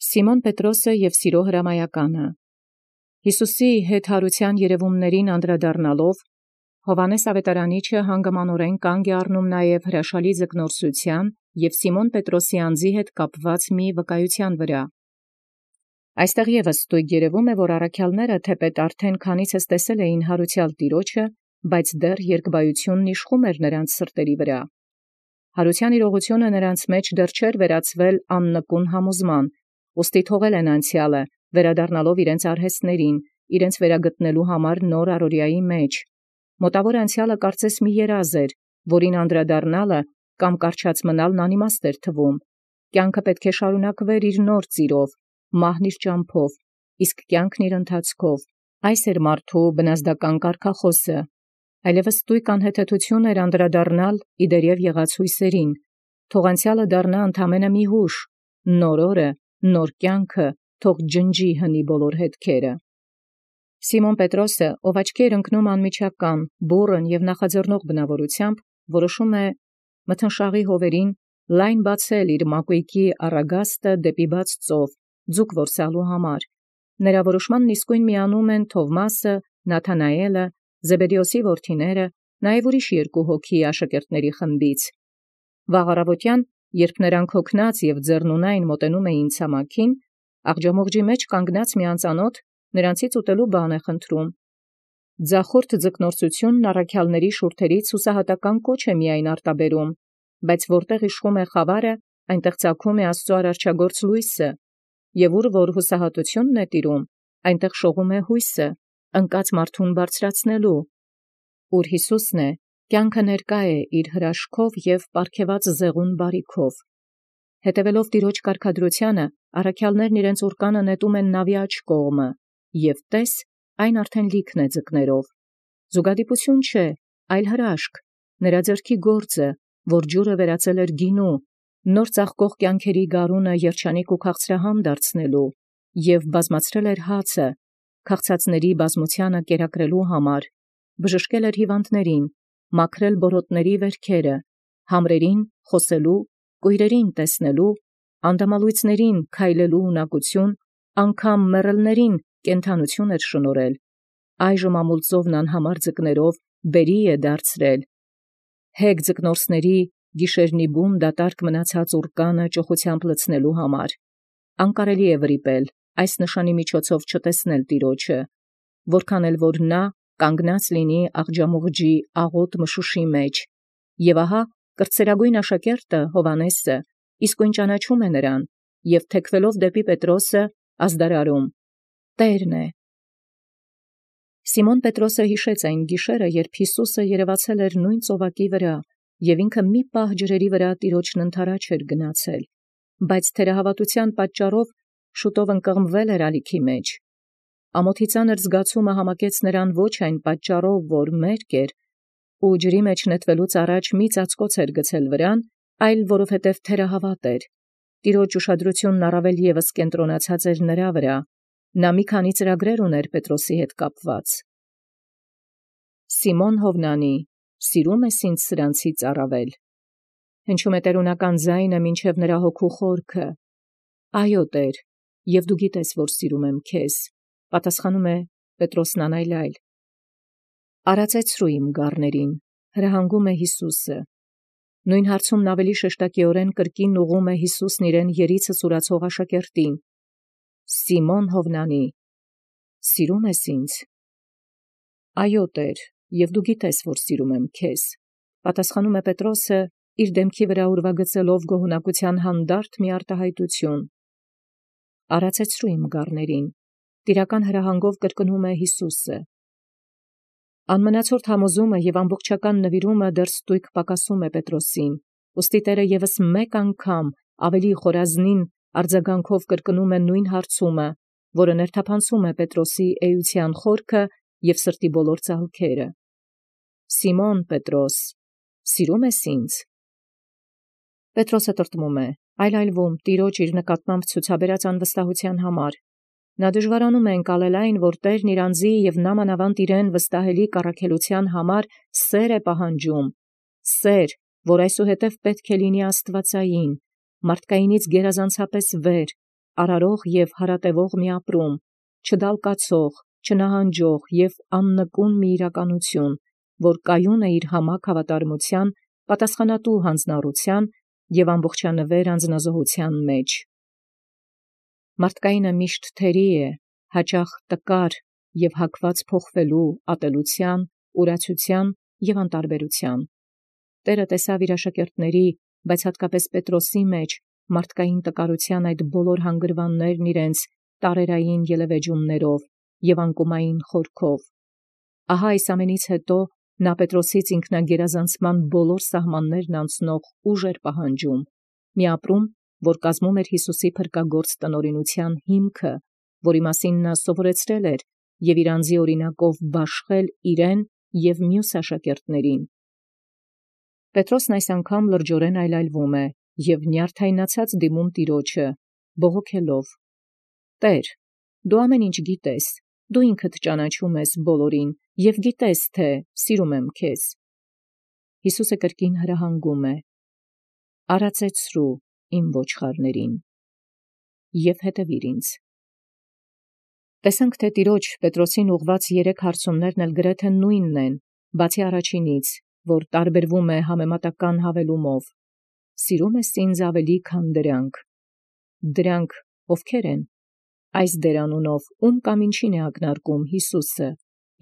Սիմոն Պետրոսը և սիրո հրամայականը։ Յիսուսի հետ հարության երևումներին անդրադառնալով Հովհաննես Ավետարանիչը հանգամանորեն կանգ է առնում նաև հրաշալի ձկնորսության և Սիմոն Պետրոսի անձի հետ կապված մի վկայության վրա։ Այստեղ ևս ստույգ երևում է, որ առաքյալները թեպետ արդեն քանիցս տեսել էին հարուցյալ Տիրոջը, բայց դեռ երկբայությունն իշխում էր նրանց սրտերի վրա։ Հարության իրողությունը նրանց մեջ դեռ չէր վերածվել աննկուն համոզման, ուստի թողել են անցյալը, վերադառնալով իրենց արհեստներին, իրենց վերագտնելու համար նոր առօրյայի մեջ։ Մոտավոր անցյալը կարծես մի երազ էր, որին անդրադառնալը կամ կառչած մնալն անիմաստ էր թվում։ Կյանքը պետք է շարունակվեր իր նոր ծիրով, մահն իր ճամփով, իսկ կյանքն իր ընթացքով։ Այս էր մարդու բնազդական կարգախոսը։ Այլևս ստույգ անհեթեթություն էր անդրադառնալ իդերև եղած հույսերին։ Թող անցյալը դառնա ընդամենը մի հուշ, նոր օրը, նոր կյանքը, թող ջնջի հնի բոլոր հետքերը։ Սիմոն Պետրոսը, ով աչքի էր ընկնում անմիջական, բուռն և նախաձեռնող բնավորությամբ, որոշում է մթնշաղի հովերին լայն բացել իր մակույկի առագաստը դեպի բաց ծով, ձուկ որսալու համար։ Նրա որոշմանն իսկույն միանում են Թովմասը, Նաթանայելը, Զեբեդեոսի որդիները, նաև ուրիշ երկու հոգի աշակերտների խմբից։ Վաղ առավոտյան, երբ նրանք հոգնած և ձեռնունայն մոտենում էին ցամաքին, աղջամուղջի մեջ կանգնած մի անծանոթ նրանցից ուտելու բան է խնդրում։ Ձախորդ ձկնորսությունն առաքյալների շուրթերից հուսահատական կոչ է միայն արտաբերում, բայց որտեղ իշխում է խավարը, այնտեղ ծագում է Աստծո արարչագործ լույսը, և ուր որ հուսահատությունն է տիրում, այնտեղ շողում է հույսը, ընկած մարդուն բարձրացնելու։ Ուր Յիսուսն է, կյանքը ներկա է իր հրաշքով և պարգևած զեղուն բարիքով։ Հետևելով Տիրոջ կարգադրությանը, առաքյալներն իրենց ուռկանը նետում են նավի աջ կողմը, և տես, այն արդեն լիքն է ձկներով։ Զուգադիպություն չէ, այլ հրաշք, նրա ձեռքի գործը, որ ջուրը վերածել էր գինու, նոր ծաղկող կյանքերի գարունը երջանիկ ու քաղցրահամ դարձնելու, և բազմացրել էր հացը, քաղցածների բազմությանը կերակրելու համար, բժշկել էր հիվանդներին, մաքրել բորոտների վերքերը, համրերին խոսելու, կույրերին տեսնելու, անդամալույցներին քայլելու ունակություն, անգամ մեռելներին կենդանություն էր շնորհել, այժմ ամուլծովն անհամար ձկներով բերի է դարձրել, հեգ ձկնորսների գիշերնիբուն դատարկ մնացած ուռկանը ճոխությամբ լցնելու համար։ Անկարելի է վրիպել, այս նշանի միջոցով չտեսնել Տիրոջը, որքան էլ որ նա կանգնած լինի աղջամուղջի աղոտ մշուշի մեջ, և ահա կրտսերագույն աշակերտը Հովհաննեսը իսկույն ճանաչում է նրան, և թեքվելով դեպի Պետրոսը ազդարարում. «Տերն է»։ Սիմոն Պետրոսը հիշեց այն գիշերը, երբ Յիսուսը երևացել էր նույն ծովակի վրա, և ինքը մի պահ ջրերի վրա Տիրոջն ընդառաջ էր գնացել, բայց թերահավատության պատճառով շուտով ընկղմվել էր ալիքի մեջ։ Ամոթի ծանր զգացումը համակեց նրան ոչ այն պատճառով, որ մերկ էր, ու ջրի մեջ նետվելուց առաջ մի ծածկոց էր գցել վրան, այլ որովհետև թերահավատ էր։ Տիրոջ ուշադրությունն առավել ևս կենտրոնացած էր նրա վրա։ Նա մի քանի ծրագրեր ուներ Պետրոսի հետ կապված։ Սիմոն Հովնանի, սիրում ես ինձ սրանցից առավել։ Հնչում է տերունական ձայնը մինչև նրա հոգու խորքը։ Այո, Տեր, և դու գիտես, որ սիրում եմ քեզ, պատասխանում է Պետրոսն անայլայլ։ Արածեցրու իմ գառներին, հրահանգում է Հիսուսը։ Նույն հարցումն ավելի շեշտակիորեն կրկին ուղղում է Հիսուսն իրեն երիցը սուրացող աշակերտին։ Սիմոն Հովնանի, սիրում ես ինձ։ Այո, Տեր, և դու գիտես, որ սիրում եմ քեզ, պատասխանում է Պետրոսը, իր դեմքի վրա ուրվագծելով գոհունակության հանդարտ մի արտահայտություն։ Արածեցրու իմ գառներին, տիրական հրահանգով կրկնում է Հիսուսը։ Անմնացորդ համոզումը և ամբողջական նվիրումը դեռ ստույգ պակասում է Պետրոսին, ուստի Տերը ևս մեկ անգամ ավելի խորազնին արձագանքով կրկնում է նույն հարցումը, որը ներթափանցում է Պետրոսի էության խորքը և սրտի բոլոր ծալքերը։ Սիմոն Պետրոս, սիրում ես ինձ։ Պետրոսը տրտմում է, այլայլվում Տիրոջ իր նկատմամբ ցուցաբերած անվստահության համար։ Նա դժվարանում է ընկալել այն, որ Տերն իր անձի և նամանավանդ իրեն վստահելի կառաքելության համար սեր է պահանջում, սեր, որ այսուհետև պետք է լինի աստվածային, մարդկայինից գերազանցապես վեր, արարող և հարատևող մի ապրում, չդալկացող, չնահանջող և աննկուն մի իրականություն, որ կայուն է իր համակ հավատարմության, պատասխանատու հանձնառության և ամբողջանվեր անձնազոհության մեջ։ Մարդկայինը միշտ թերի է, հաճախ տկար և հակված փոխվելու, ատելության, ուրացության և անտարբերության։ Տէրը տեսաւ իր աշակերտների, բայց հատկապես Պետրոսի մեջ մարդկային տկարության այդ բոլոր հանգրվաններն իրենց տարերային ելևէջումներով և անկումային խորքով։ Ահա այս ամենից հետո նա Պետրոսից ինքնագերազանցման բոլոր սահմաններն անցնող ուժ էր պահանջում, մի ապրում, որ կազմում էր Յիսուսի փրկագործ տնօրինության հիմքը, որի մասին նա սովորեցրել էր և իր անձի օրինակով բաշխել իրեն և մյուս աշակերտներին։ Պետրոսն այս անգամ լրջորեն այլայլվում է և նյարդայնացած դիմում Տիրոջը, բողոքելով. «Տէր, դու ամեն ինչ գիտես, դու ինքդ ճանաչում ես բոլորին և գիտես, թէ սիրում եմ քեզ»։ Յիսուսը կրկին հրահանգում է. «Արածեցրու իմ ոչխարներին և հետևիր ինձ»։ Տեսանք, թէ Տիրոջ Պետրոսին ուղղված 3 հարցումներն էլ գրեթե նույնն են, բացի առաջինից, որ տարբերվում է համեմատական հավելումով. «Սիրում ես ինձ ավելի, քան դրանք»։ Դրանք ովքե՞ր են։ Այս դերանունով ում կամ ինչին է ակնարկում Յիսուսը։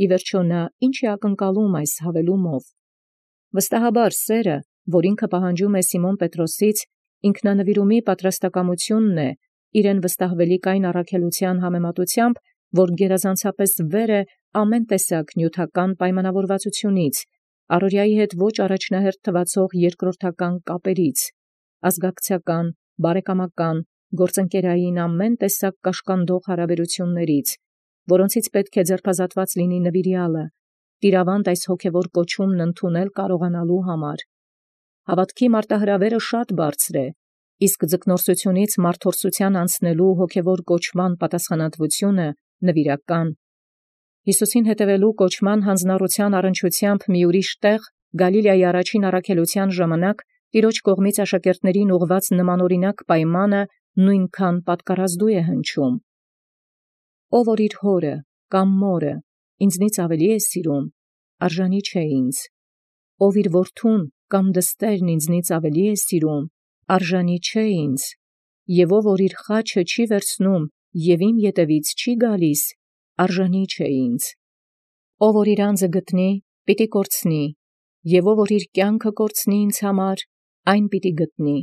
Ի վերջո նա ինչ է ակնկալում այս հավելումով։ Վստահաբար սերը, որ ինքը պահանջում է Սիմոն Պետրոսից, ինքնանվիրումի պատրաստակամությունն է իրեն վստահվելիք այն առաքելության համեմատությամբ, որ գերազանցապես վեր է ամեն տեսակ նյութական պայմանավորվածությունից, առօրյայի հետ ոչ առաջնահերթ թվացող երկրորդական կապերից, ազգակցական, բարեկամական, գործընկերային ամեն տեսակ կաշկանդող հարաբերություններից, որոնցից պետք է ձերբազատված լինի նվիրյալը, տիրավանդ այս հոգևոր կոչումն ընդունել կարողանալու համար։ Հավատքի մարտահրավերը շատ բարձր է, իսկ ձկնորսությունից մարդորսության անցնելու հոգևոր կոչման պատասխանատվությունը նվիրական։ Յիսուսին հետևելու կոչման հանձնառության առնչությամբ մի ուրիշ տեղ Գալիլեայի առաջին առաքելության ժամանակ Տիրոջ կողմից աշակերտներին ուղղված նմանօրինակ պայմանը նույնքան պատկառազդու է հնչում։ Ով որ իր հորը կամ մորը ինձնից ավելի է սիրում, արժանի չէ ինձ։ Ով իր որդուն կամ դստերն ինձնից ավելի է սիրում, արժանի չէ ինձ։ Եվ ով որ իր խաչը չի վերցնում և իմ ետևից չի գալիս, արժանի չէ ինձ։ Ով որ իր անձը գտնի, պիտի կորցնի, և ով որ իր կյանքը կորցնի ինձ համար, այն պիտի գտնի։